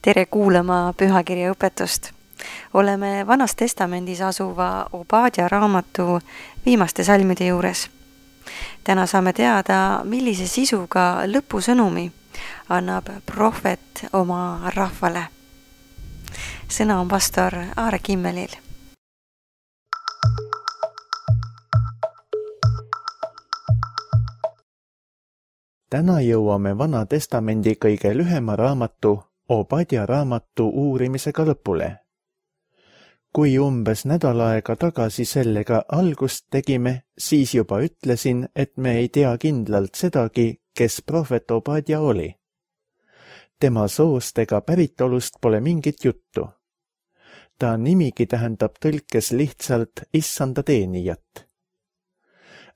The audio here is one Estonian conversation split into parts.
Tere kuulama pühakirja õpetust. Oleme Vanas Testamendis asuva Obadja raamatu viimaste salmide juures. Täna saame teada, millise sisuga lõpusõnumi annab prohvet oma rahvale. Sõna on pastor Aare Kimmelil. Täna jõuame Vana Testamendi kõige lühema raamatu Obadja raamatu uurimisega lõpule. Kui umbes nädal aega tagasi sellega algust tegime, siis juba ütlesin, et me ei tea kindlalt sedagi, kes prohvet Obadja oli. Tema soost ega päritolust pole mingit juttu. Ta nimigi tähendab tõlkes lihtsalt issanda teenijat.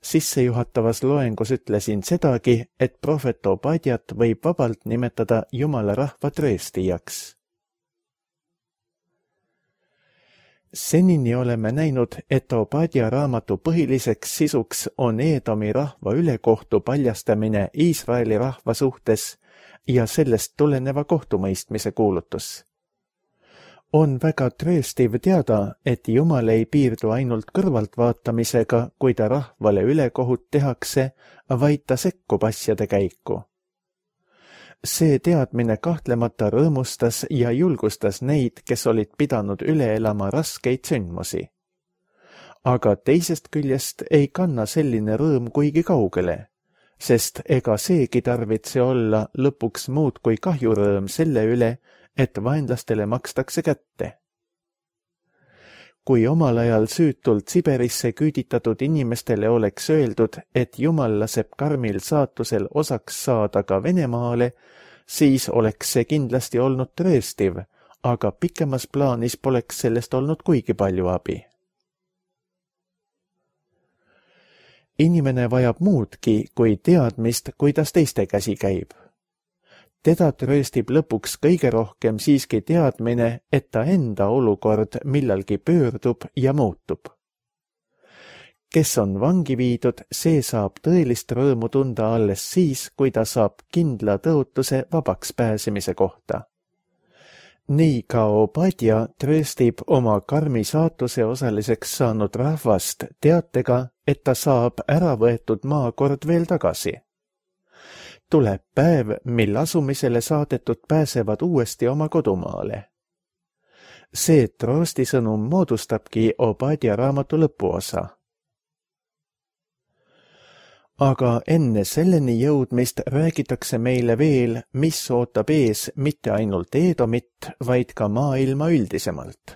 Sissejuhatavas loengus ütlesin sedagi, et prohvet Obadjat võib vabalt nimetada Jumala rahva trööstijaks. Senini oleme näinud, et Obadja raamatu põhiliseks sisuks on Eedomi rahva ülekohtu paljastamine Iisraeli rahva suhtes ja sellest tuleneva kohtumõistmise kuulutus. On väga trööstiv teada, et Jumal ei piirdu ainult kõrvaltvaatamisega, kui ta rahvale ülekohut tehakse, vaid ta sekkub asjade käiku. See teadmine kahtlemata rõõmustas ja julgustas neid, kes olid pidanud üle elama raskeid sündmusi. Aga teisest küljest ei kanna selline rõõm kuigi kaugele, sest ega seegi tarvitse olla lõpuks muud kui kahjurõõm selle üle, et vaenlastele makstakse kätte. Kui omal ajal süütult Siberisse küüditatud inimestele oleks öeldud, et Jumal laseb karmil saatusel osaks saada ka Venemaale, siis oleks see kindlasti olnud trööstiv, aga pikemas plaanis poleks sellest olnud kuigi palju abi. Inimene vajab muudki kui teadmist, kuidas teiste käsi käib. Teda trööstib lõpuks kõige rohkem siiski teadmine, et ta enda olukord millalgi pöördub ja muutub. Kes on vangi viidud, see saab tõelist rõõmu tunda alles siis, kui ta saab kindla tõotuse vabaks pääsemise kohta. Nii ka Obadja trööstib oma karmi saatuse osaliseks saanud rahvast teatega, et ta saab ära võetud maakord veel tagasi. Tuleb päev, mil asumisele saadetud pääsevad uuesti oma kodumaale. See troostisõnum moodustabki Obadja raamatu lõpuosa. Aga enne selleni jõudmist räägitakse meile veel, mis ootab ees mitte ainult Eedomit, vaid ka maailma üldisemalt.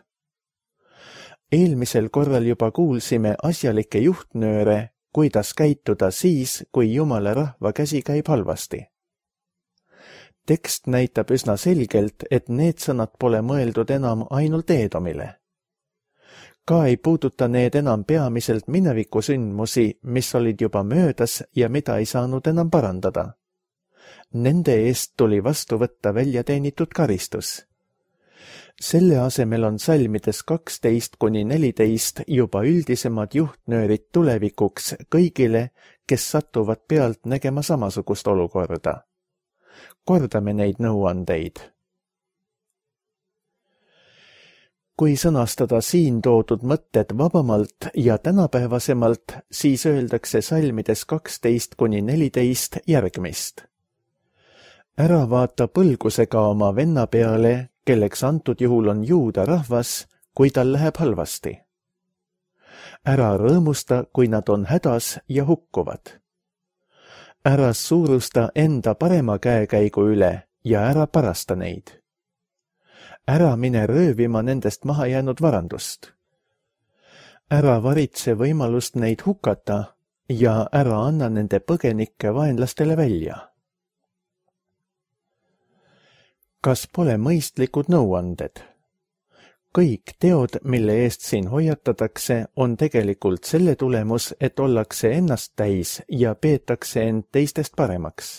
Eelmisel korral juba kuulsime asjalikke juhtnööre, kuidas käituda siis, kui Jumala rahva käsi käib halvasti. Tekst näitab üsna selgelt, et need sõnad pole mõeldud enam ainult Eedomile. Ka ei puuduta need enam peamiselt minevikusündmusi, mis olid juba möödas ja mida ei saanud enam parandada. Nende eest tuli vastu võtta väljateenitud karistus. Selle asemel on salmides 12–14 juba üldisemad juhtnöörid tulevikuks kõigile, kes satuvad pealt nägema samasugust olukorda. Kordame neid nõuandeid. Kui sõnastada siin toodud mõtted vabamalt ja tänapäevasemalt, siis öeldakse salmides 12–14 järgmist. Ära vaata põlgusega oma venna peale, kelleks antud juhul on juuda rahvas, kui tal läheb halvasti. Ära rõõmusta, kui nad on hädas ja hukkuvad. Ära suurusta enda parema käekäigu üle ja ära parasta neid. Ära mine röövima nendest maha jäänud varandust. Ära varitse võimalust neid hukata ja ära anna nende põgenikke vaenlastele välja. Kas pole mõistlikud nõuanded? Kõik teod, mille eest siin hoiatatakse, on tegelikult selle tulemus, et ollakse ennast täis ja peetakse end teistest paremaks.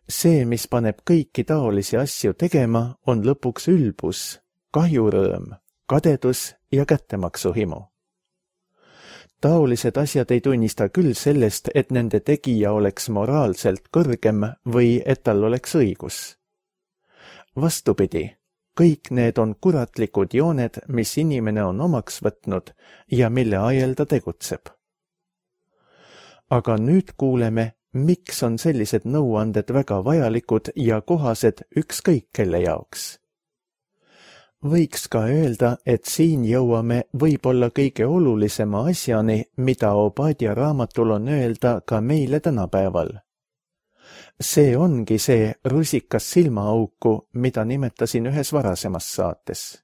See, mis paneb kõiki taolisi asju tegema, on lõpuks ülbus, kahjurõõm, kadedus ja kättemaksuhimu. Taolised asjad ei tunnista küll sellest, et nende tegija oleks moraalselt kõrgem või et tal oleks õigus. vastupidi, kõik need on kuratlikud jooned, mis inimene on omaks võtnud ja mille ajel ta tegutseb. Aga nüüd kuuleme, miks on sellised nõuanded väga vajalikud ja kohased ükskõik kelle jaoks. Võiks ka öelda, et siin jõuame võib-olla kõige olulisema asjani, mida Obadja raamatul on öelda ka meile tänapäeval. See ongi see rusikas silmaauku, mida nimetasin ühes varasemas saates.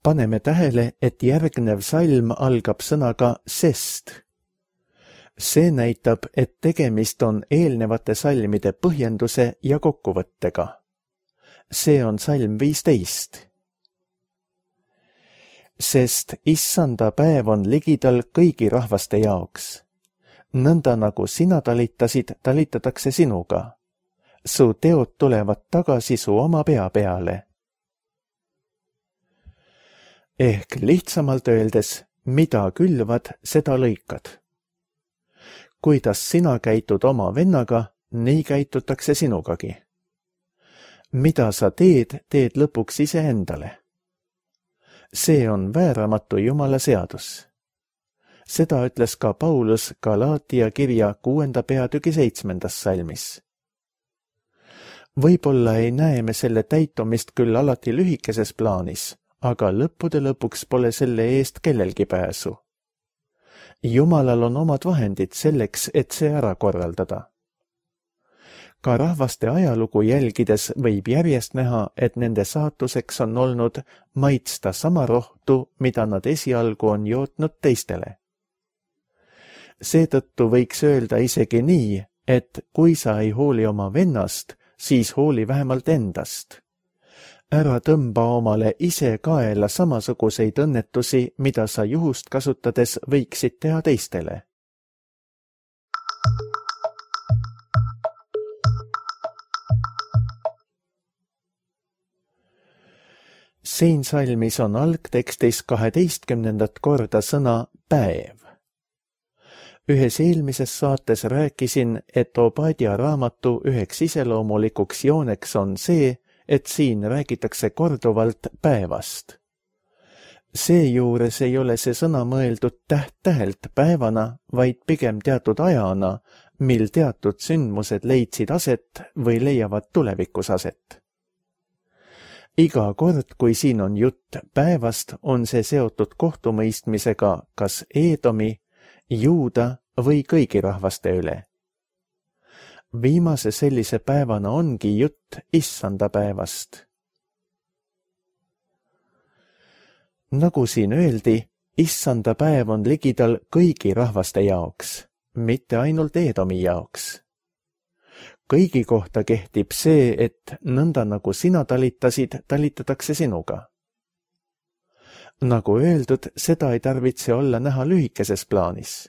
Paneme tähele, et järgnev salm algab sõnaga sest. See näitab, et tegemist on eelnevate salmide põhjenduse ja kokkuvõttega. See on salm 15. Sest issanda päev on ligidal kõigi rahvaste jaoks. Nõnda nagu sina talitasid, talitatakse sinuga. Su teod tulevad tagasi su oma pea peale. Ehk lihtsamalt öeldes, mida külvad, seda lõikad. Kuidas sina käitud oma vennaga, nii käitutakse sinugagi. Mida sa teed, teed lõpuks iseendale. See on vääramatu Jumala seadus. Seda ütles ka Paulus Galaatia kirja 6. peatüki 7. salmis. Võib-olla ei näe me selle täitumist küll alati lühikeses plaanis, aga lõppude lõpuks pole selle eest kellelgi pääsu. Jumalal on omad vahendid selleks, et see ära korraldada. Ka rahvaste ajalugu jälgides võib järjest näha, et nende saatuseks on olnud maitsta sama rohtu, mida nad esialgu on jootnud teistele. Seetõttu võiks öelda isegi nii, et kui sa ei hooli oma vennast, siis hooli vähemalt endast. Ära tõmba omale ise kaela samasuguseid õnnetusi, mida sa juhust kasutades võiksid teha teistele. Siin salmis on algtekstis 12. korda sõna päev. Ühes eelmises saates rääkisin, et Obadja raamatu üheks iseloomulikuks jooneks on see, et siin räägitakse korduvalt päevast. Seejuures ei ole see sõna mõeldud täht-tähelt päevana, vaid pigem teatud ajana, mil teatud sündmused leidsid aset või leiavad tulevikus aset. Iga kord, kui siin on jutt päevast, on see seotud kohtumõistmisega kas Eedomi, Juuda või kõigi rahvaste üle. Viimase sellise päevana ongi jutt issanda päevast. Nagu siin öeldi, issanda päev on ligidal kõigi rahvaste jaoks, mitte ainult Eedomi jaoks. Kõigi kohta kehtib see, et nõnda nagu sina talitasid, talitatakse sinuga. Nagu öeldud, seda ei tarvitse olla näha lühikeses plaanis.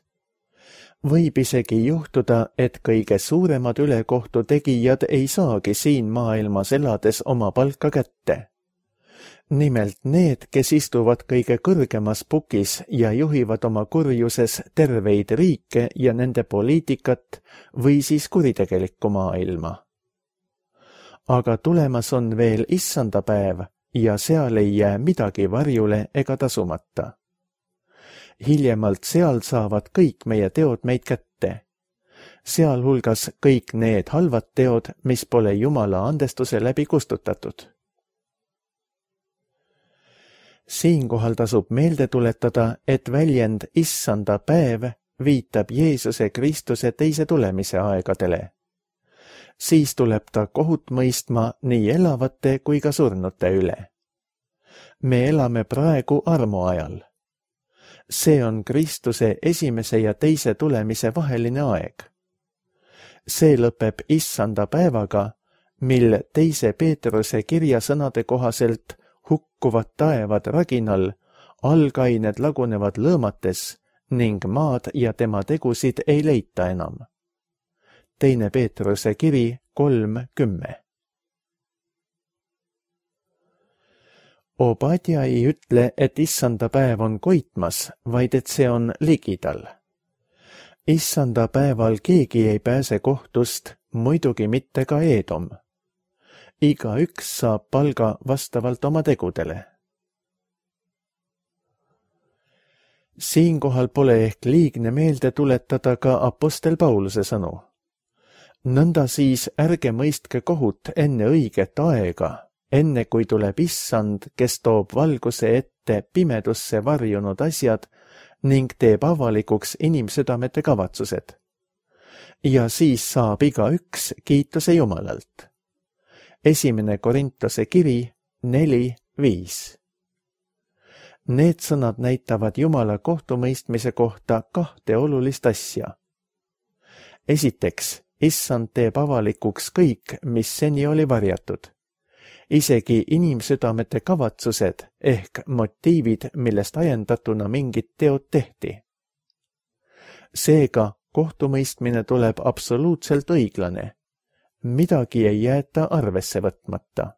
Võib isegi juhtuda, et kõige suuremad ülekohtu tegijad ei saagi siin maailmas elades oma palka kätte. Nimelt need, kes istuvad kõige kõrgemas pukis ja juhivad oma kurjuses terveid riike ja nende poliitikat või siis kuritegelikku maailma. Aga tulemas on veel issanda päev ja seal ei jää midagi varjule ega tasumata. Hiljemalt seal saavad kõik meie teod meid kätte. Sealhulgas kõik need halvad teod, mis pole Jumala andestuse läbi kustutatud. Siinkohal tasub meelde tuletada, et väljend issanda päev viitab Jeesuse Kristuse teise tulemise aegadele. Siis tuleb ta kohut mõistma nii elavate kui ka surnute üle. Me elame praegu armuajal. See on Kristuse esimese ja teise tulemise vaheline aeg. See lõpeb issanda päevaga, mil teise Peetruse kirja sõnade kohaselt hukkuvad taevad raginal, algained lagunevad lõõmates ning maad ja tema tegusid ei leita enam. Teine Peetruse kiri 3:10. Obadja ei ütle, et issanda päev on koitmas, vaid et see on ligidal. Issanda päeval keegi ei pääse kohtust, muidugi mitte ka Eedom. igaüks saab palga vastavalt oma tegudele. Siinkohal pole ehk liigne meelde tuletada ka apostel Pauluse sõnu. Nõnda siis ärge mõistke kohut enne õiget aega, enne kui tuleb issand, kes toob valguse ette pimedusse varjunud asjad ning teeb avalikuks inimsüdamete kavatsused. Ja siis saab igaüks kiituse Jumalalt. 1. Korintuse kiri 4:5. Need sõnad näitavad Jumala kohtumõistmise kohta 2 olulist asja. Esiteks, issand teeb avalikuks kõik, mis seni oli varjatud. Isegi inimsüdamete kavatsused ehk motiivid, millest ajendatuna mingid teod tehti. Seega, kohtumõistmine tuleb absoluutselt õiglane. Midagi ei jäeta arvesse võtmata.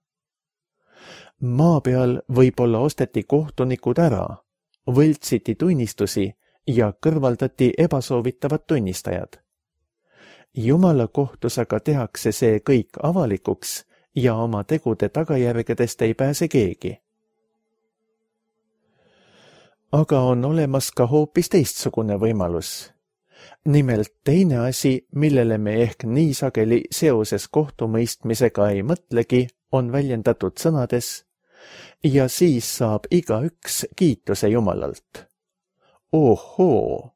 Maa peal võib-olla osteti kohtunikud ära, võltsiti tunnistusi ja kõrvaldati ebasoovitavad tunnistajad. Jumala kohtus aga tehakse see kõik avalikuks ja oma tegude tagajärgedest ei pääse keegi. Aga on olemas ka hoopis teistsugune võimalus. Nimelt teine asi, millele me ehk nii sageli seoses kohtumõistmisega ei mõtlegi, on väljendatud sõnades ja siis saab igaüks kiituse Jumalalt. Ohoo,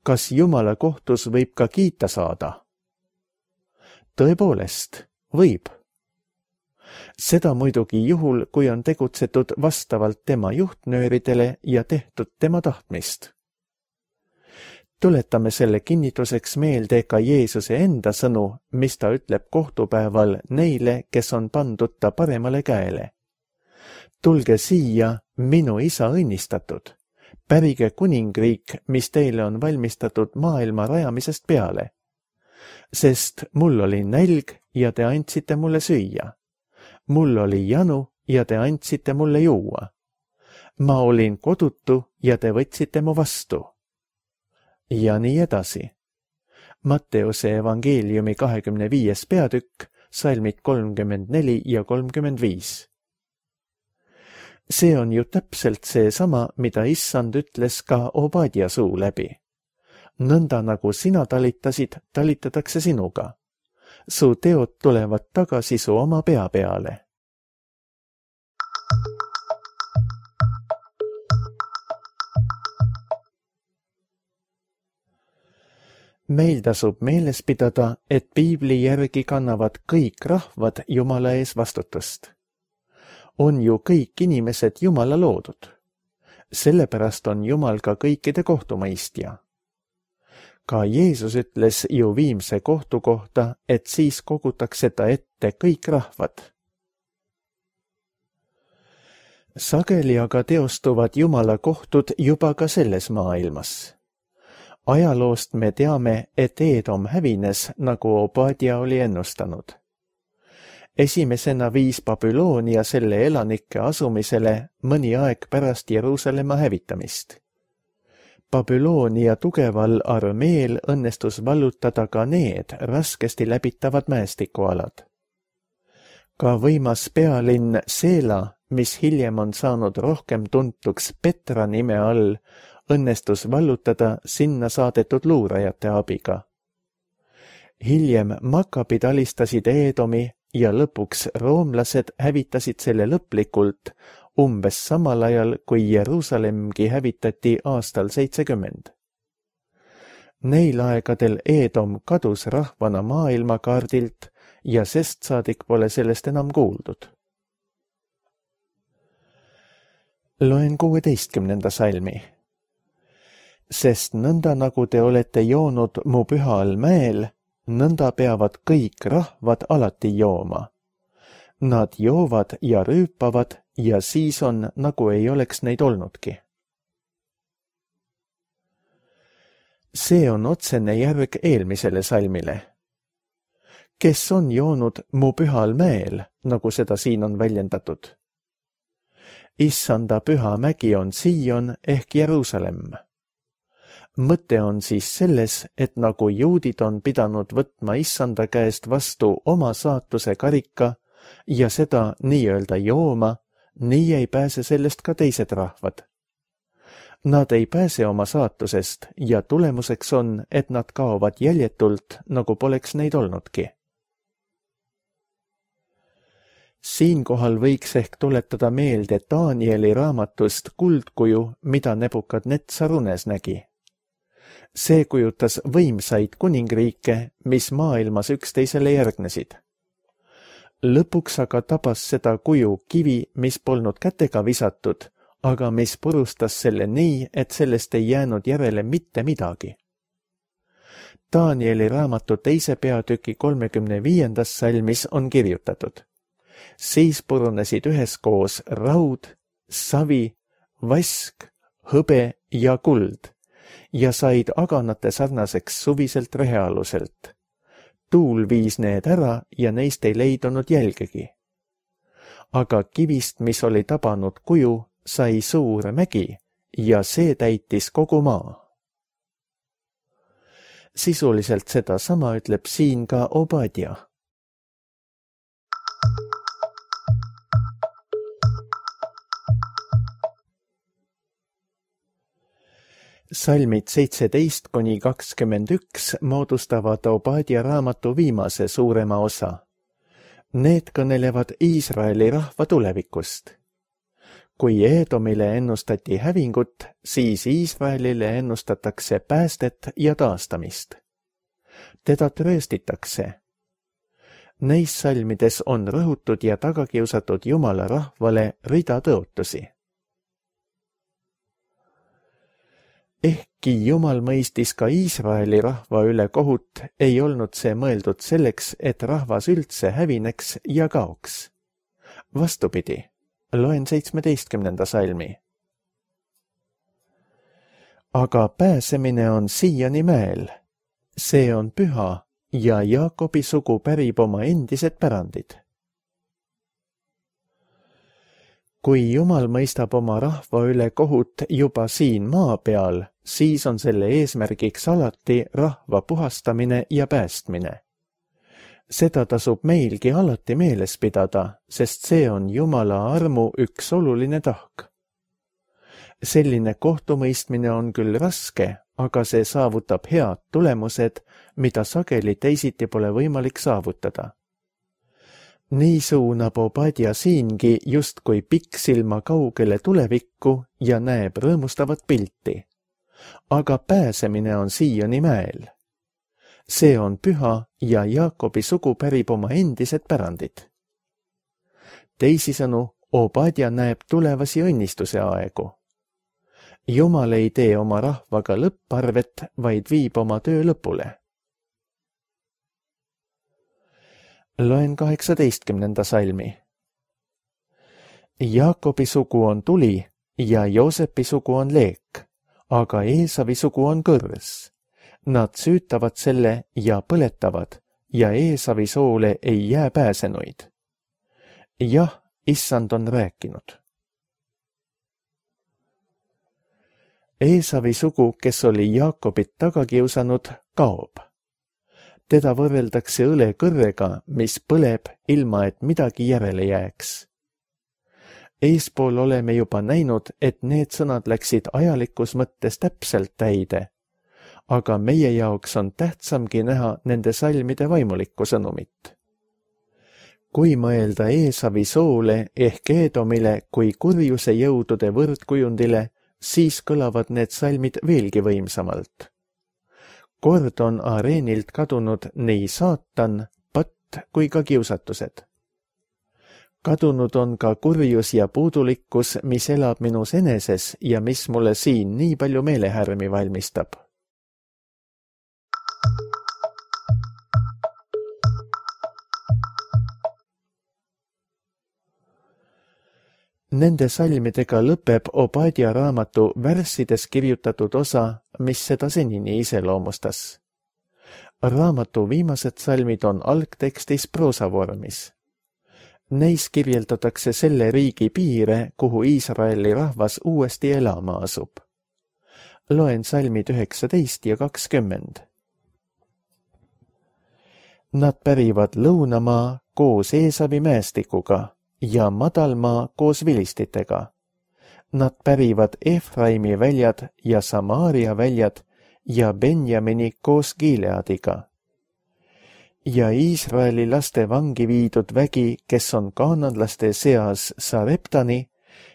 kas Jumala kohtus võib ka kiita saada? Tõepoolest, võib. Seda muidugi juhul, kui on tegutsetud vastavalt tema juhtnööridele ja tehtud tema tahtmist. Tuletame selle kinnituseks meelde ka Jeesuse enda sõnu, mis ta ütleb kohtupäeval neile, kes on pandud ta paremale käele. Tulge siia, minu isa õnnistatud. Pärige kuningriik, mis teile on valmistatud maailma rajamisest peale. Sest mul oli nälg ja te andsite mulle süüa. Mul oli janu ja te andsite mulle juua. Ma olin kodutu ja te võtsite mu vastu. Ja nii edasi. Matteuse evangeeliumi 25. peatükk, salmid 34 ja 35. See on ju täpselt seesama, mida issand ütles ka Obadia suu läbi. Nõnda nagu sina talitasid, talitatakse sinuga. Su teod tulevad tagasi su oma pea peale. Meil tasub meeles pidada, et piibli järgi kannavad kõik rahvad Jumala ees vastutust. On ju kõik inimesed Jumala loodud. Sellepärast on Jumal ka kõikide kohtumõistja. Ka Jeesus ütles ju viimse kohtu kohta, et siis kogutakse ta ette kõik rahvad. Sageli aga teostuvad Jumala kohtud juba ka selles maailmas. Ajaloost me teame, et Eedom hävines, nagu Obadia oli ennustanud. Esimesena viis Babyloonia selle elanike asumisele mõni aeg pärast Jeruusalemma hävitamist. Babyloonia tugeval armeel õnnestus vallutada ka need raskesti läbitavad mäestikualad. Ka võimas pealinn Seela, mis hiljem on saanud rohkem tuntuks Petra nime all, õnnestus vallutada sinna saadetud luurajate abiga. Hiljem Makabid alistasid Eedomi ja lõpuks roomlased hävitasid selle lõplikult umbes samal ajal, kui Jeruusalemgi hävitati aastal 70. Neil aegadel Eedom kadus rahvana maailmakaardilt ja sest saadik pole sellest enam kuuldud. Loen 16. salmi. Sest nõnda nagu te olete joonud mu pühal mäel, nõnda peavad kõik rahvad alati jooma. Nad joovad ja rüüpavad ja siis on, nagu ei oleks neid olnudki. See on otsene järg eelmisele salmile. Kes on joonud mu pühal mäel, nagu seda siin on väljendatud? Issanda püha mägi on Sion ehk Jeruusalemm. Mõte on siis selles, et nagu juudid on pidanud võtma issanda käest vastu oma saatuse karika, ja seda nii-öelda jooma, nii ei pääse sellest ka teised rahvad. Nad ei pääse oma saatusest ja tulemuseks on, et nad kaovad jäljetult, nagu poleks neid olnudki. Siinkohal võiks ehk tuletada meelde Danieli raamatust kuldkuju, mida Nebukadnetsar unes nägi. See kujutas võimsaid kuningriike, mis maailmas üksteisele järgnesid. Lõpuks aga tabas seda kuju kivi, mis polnud kätega visatud, aga mis purustas selle nii, et sellest ei jäänud järele mitte midagi. Danieli raamatu 2. peatüki 35. salmis on kirjutatud. Siis purunesid üheskoos raud, savi, vask, hõbe ja kuld ja said aganate sarnaseks suviselt rehealuselt. Tuul viis need ära ja neist ei leidunud jälgegi. Aga kivist, mis oli tabanud kuju, sai suur mägi ja see täitis kogu maa. Sisuliselt seda sama ütleb siin ka Obadja. Salmid 17–21 moodustavad Obadja raamatu viimase suurema osa. Need kõnelevad Iisraeli rahva tulevikust. Kui Edomile ennustati hävingut, siis Iisraelile ennustatakse päästet ja taastamist. Teda trööstitakse. Neis salmides on rõhutud ja tagakiusatud Jumala rahvale rida tõotusi. Ehkki Jumal mõistis ka Iisraeli rahva üle kohut, ei olnud see mõeldud selleks, et rahvas üldse hävineks ja kaoks. Vastupidi, loen 17. salmi. Aga pääsemine on siiani mäel. See on püha ja Jaakobi sugu pärib oma endised pärandid. Kui Jumal mõistab oma rahva üle kohut juba siin maa peal, siis on selle eesmärgiks alati rahva puhastamine ja päästmine. Seda tasub meilgi alati meeles pidada, sest see on Jumala armu üks oluline tahk. Selline kohtumõistmine on küll raske, aga see saavutab head tulemused, mida sageli teisiti pole võimalik saavutada. Nii suunab Obadja siingi justkui pikksilma kaugele tulevikku ja näeb rõõmustavat pilti. Aga pääsemine on siiani mäel. See on püha ja Jaakobi sugu pärib oma endised pärandid. Teisisõnu, Obadja näeb tulevasi õnnistuse aegu. Jumal ei tee oma rahvaga lõpparvet, vaid viib oma töö lõpule. Loen 18. salmi. Jaakobi sugu on tuli ja Joosepi sugu on leek, aga Eesavi sugu on kõrs. Nad süütavad selle ja põletavad ja Eesavi soole ei jää pääsenuid. Jah, Issand on rääkinud. Eesavi sugu, kes oli Jaakobit taga kiusanud, kaob. Teda võrreldakse õlekõrrega, mis põleb ilma, et midagi järele jääks. Eespool oleme juba näinud, et need sõnad läksid ajalikus mõttes täpselt täide, aga meie jaoks on tähtsamgi näha nende salmide vaimulikku sõnumit. Kui mõelda Eesavi soole ehk Edomile kui kurjuse jõudude võrdkujundile, siis kõlavad need salmid veelgi võimsamalt. Kord on areenilt kadunud nii saatan, patt kui ka kiusatused. Kadunud on ka kurjus ja puudulikkus, mis elab minus eneses ja mis mulle siin nii palju meelehärmi valmistab. Nende salmidega lõpeb Obadja raamatu värssides kirjutatud osa, mis seda senini iseloomustas. Raamatu viimased salmid on algtekstis proosavormis. Neis kirjeldatakse selle riigi piire, kuhu Iisraeli rahvas uuesti elama asub. Loen salmid 19 ja 20. Nad pärivad lõunamaa, koos Eesavi mäestikuga ja madalmaa koos vilistitega. Nad pärivad Efraimi väljad ja Samaaria väljad ja Benjamini koos Gileadiga. Ja Iisraeli laste vangi viidud vägi, kes on kaananlaste seas Sareptani,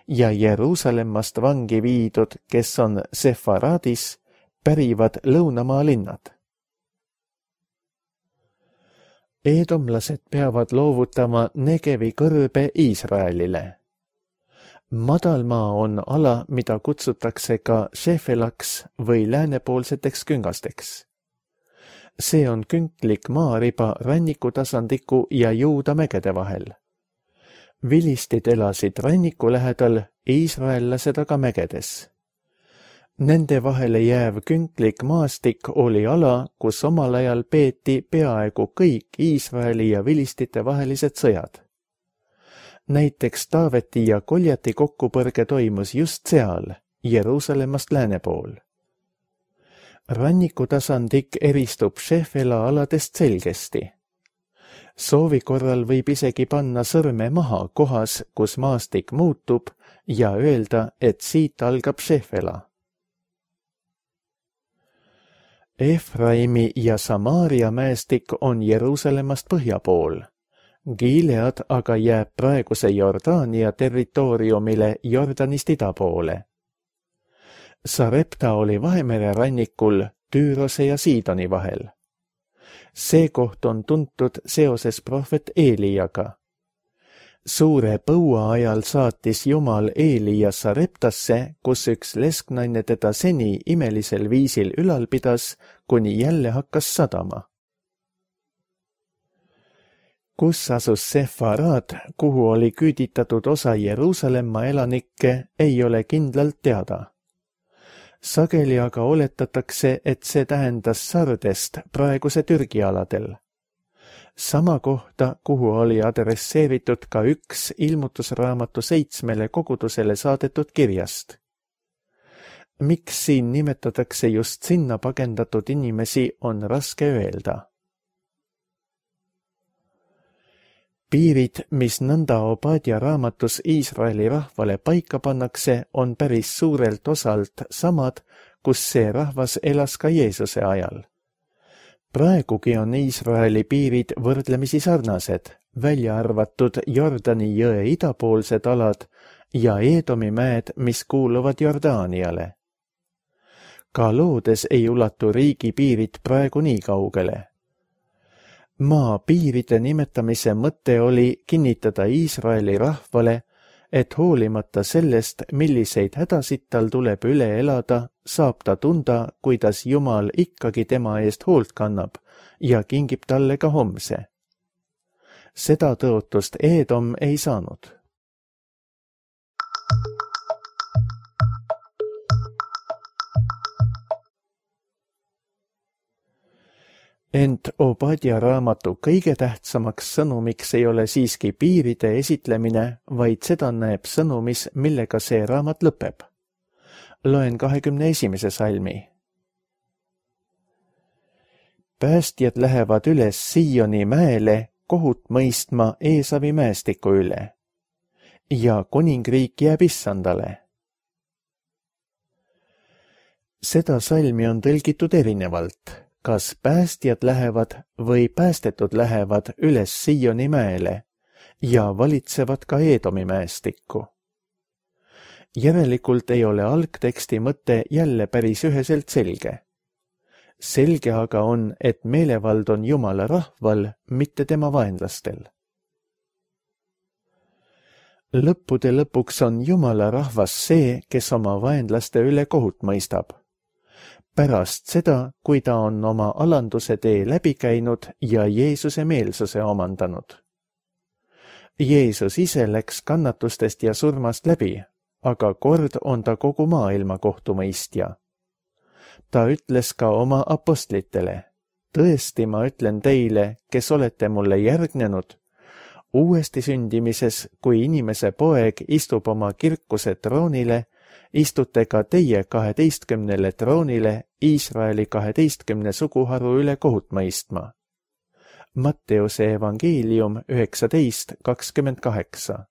ja Jeruusалemmast vangi viidud, kes on Sefaradis, pärivad lõunamaa linnad. Eedomlased peavad loovutama Negevi kõrbe Iisraelile. Madalmaa on ala, mida kutsutakse ka Šefelaks või läänepoolseteks küngasteks. See on künklik maariba rannikutasandliku ja Juuda mägede vahel. Vilistid elasid ranniku lähedal, iisraellased aga mägedes. Nende vahele jääv künklik maastik oli ala, kus omal ajal peeti peaaegu kõik Iisraeli ja vilistite vahelised sõjad. Näiteks Taaveti ja Koljati kokkupõrge toimus just seal, Jeruusalemmast lääne pool. Rannikutasandlik eristub Šefela aladest selgesti. Soovi korral võib isegi panna sõrme maha kohas, kus maastik muutub ja öelda, et siit algab Šefela. Efraimi ja Samaaria mäestik on Jeruusalemmast põhja pool. Gilead aga jääb praeguse Jordaania territooriumile Jordanist ida poole. Sarepta oli Vahemere rannikul Tüürose ja Siidoni vahel. See koht on tuntud seoses prohvet Eeliaga. Suure põua ajal saatis Jumal Eelia Sareptasse, kus üks lesknaine teda seni imelisel viisil ülal pidas, kuni jälle hakkas sadama. Kus asus Sefarad, kuhu oli küüditatud osa Jeruusalemma elanikke, ei ole kindlalt teada. Sageli aga oletatakse, et see tähendas Sardest praeguse Türgi aladel. Sama kohta, kuhu oli adresseeritud ka üks ilmutusraamatu 7 kogudusele saadetud kirjast. Miks siin nimetatakse just sinna pagendatud inimesi, on raske öelda. Piirid, mis nõnda Obadja raamatus Iisraeli rahvale paika pannakse, on päris suurelt osalt samad, kus see rahvas elas ka Jeesuse ajal. Praegugi on Iisraeli piirid võrdlemisi sarnased, välja arvatud Jordani jõe idapoolsed alad ja Eedomi mäed, mis kuuluvad Jordaaniale. Ka loodes ei ulatu riigi piirid praegu nii kaugele. Maa piiride nimetamise mõte oli kinnitada Iisraeli rahvale, et hoolimata sellest, milliseid hädasid tal tuleb üle elada, saab ta tunda, kuidas Jumal ikkagi tema eest hoolt kannab ja kingib talle ka homse. Seda tõotust Eedom ei saanud. Ent Obadja raamatu kõige tähtsamaks sõnumiks ei ole siiski piiride esitlemine, vaid seda näeb sõnumis, millega see raamat lõpeb. Loen 21. salmi. Päästjad lähevad üles Sioni mäele kohut mõistma Eesavi mäestiku üle ja kuningriik jääb issandale. Seda salmi on tõlgitud erinevalt. Kas päästjad lähevad või päästetud lähevad üles Sioni mäele ja valitsevad ka Eedomi mäestikku. Järelikult ei ole algteksti mõte jälle päris üheselt selge. Selge aga on, et meelevald on Jumala rahval, mitte tema vaenlastel. Lõppude lõpuks on Jumala rahvas see, kes oma vaenlaste üle kohut mõistab. Pärast seda, kui ta on oma alanduse tee läbi käinud ja Jeesuse meelsuse omandanud. Jeesus ise läks kannatustest ja surmast läbi, aga kord on ta kogu maailma kohtumõistja. Ta ütles ka oma apostlitele, tõesti ma ütlen teile, kes olete mulle järgnenud, uuesti sündimises, kui inimese poeg istub oma kirkuse troonile, istute ka teie 12 troonile Iisraeli 12 suguharu üle kohut mõistma. Matteuse evangeelium 19:28.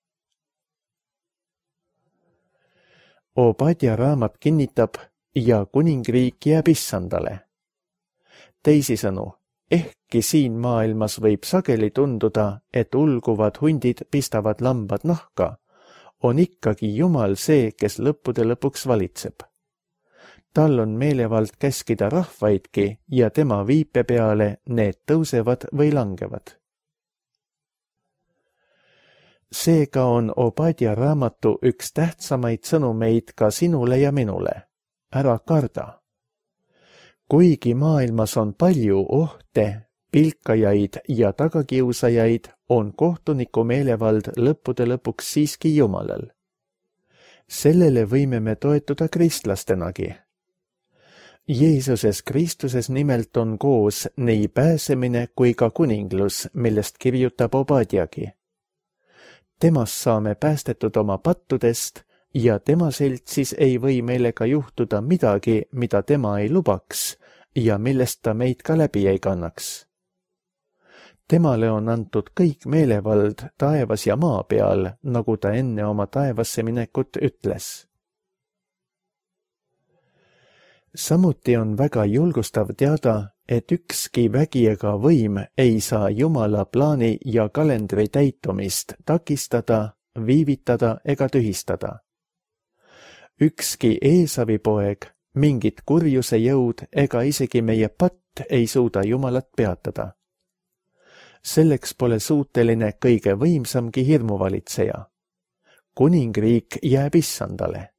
Obadja raamat kinnitab ja kuningriik jääb issandale. Teisisõnu, ehkki siin maailmas võib sageli tunduda, et ulguvad hundid pistavad lambad nahka, on ikkagi Jumal see, kes lõppude lõpuks valitseb. Tal on meelevald käskida rahvaidki ja tema viipe peale need tõusevad või langevad. Seega on Obadja raamatu üks tähtsamaid sõnumeid ka sinule ja minule. Ära karda. Kuigi maailmas on palju ohte, pilkajaid ja tagakiusajaid, on kohtuniku meelevald lõppude lõpuks siiski Jumalal. Sellele võime me toetuda kristlastenagi. Jeesuses Kristuses nimelt on koos nii pääsemine kui ka kuninglus, millest kirjutab Obadjagi. Temast saame päästetud oma pattudest ja tema seltsis ei või meile ka juhtuda midagi, mida tema ei lubaks ja millest ta meid ka läbi ei kannaks. Temale on antud kõik meelevald taevas ja maa peal, nagu ta enne oma taevasse minekut ütles. Samuti on väga julgustav teada, et ükski vägi ega võim ei saa Jumala plaani ja kalendri täitumist takistada, viivitada ega tühistada. Ükski Eesavi poeg, mingit kurjuse jõud ega isegi meie patt ei suuda Jumalat peatada. Selleks pole suuteline kõige võimsamgi hirmuvalitseja. Kuningriik jääb issandale.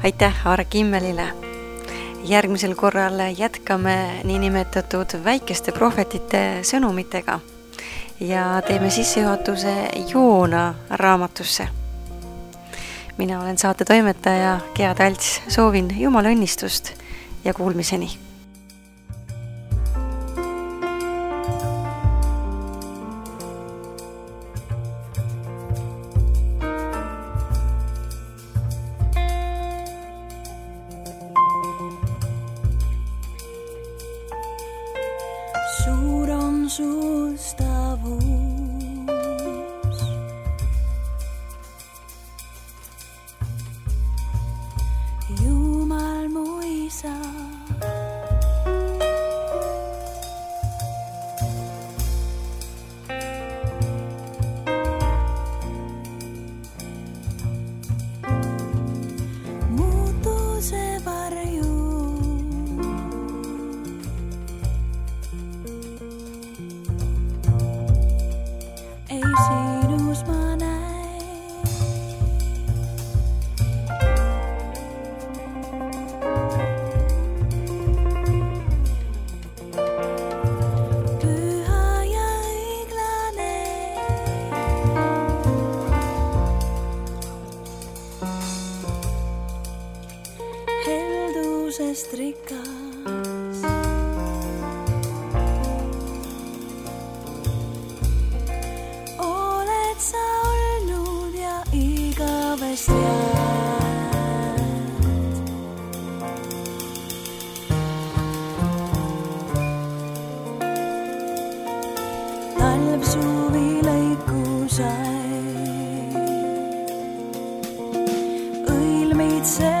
Aitäh Aare Kimmelile. Järgmisel korral jätkame niinimetatud väikeste prohvetite sõnumitega ja teeme sissejuhatuse Joona raamatusse. Mina olen saate toimetaja Gea Talts, soovin Jumala õnnistust ja kuulmiseni. Suur on sustavus, Jumal mu isa. Muutuse varju sinus ma näin. Püha ja õiglane, heldusest rikas. Talv suvi lõiku sai, õilmid see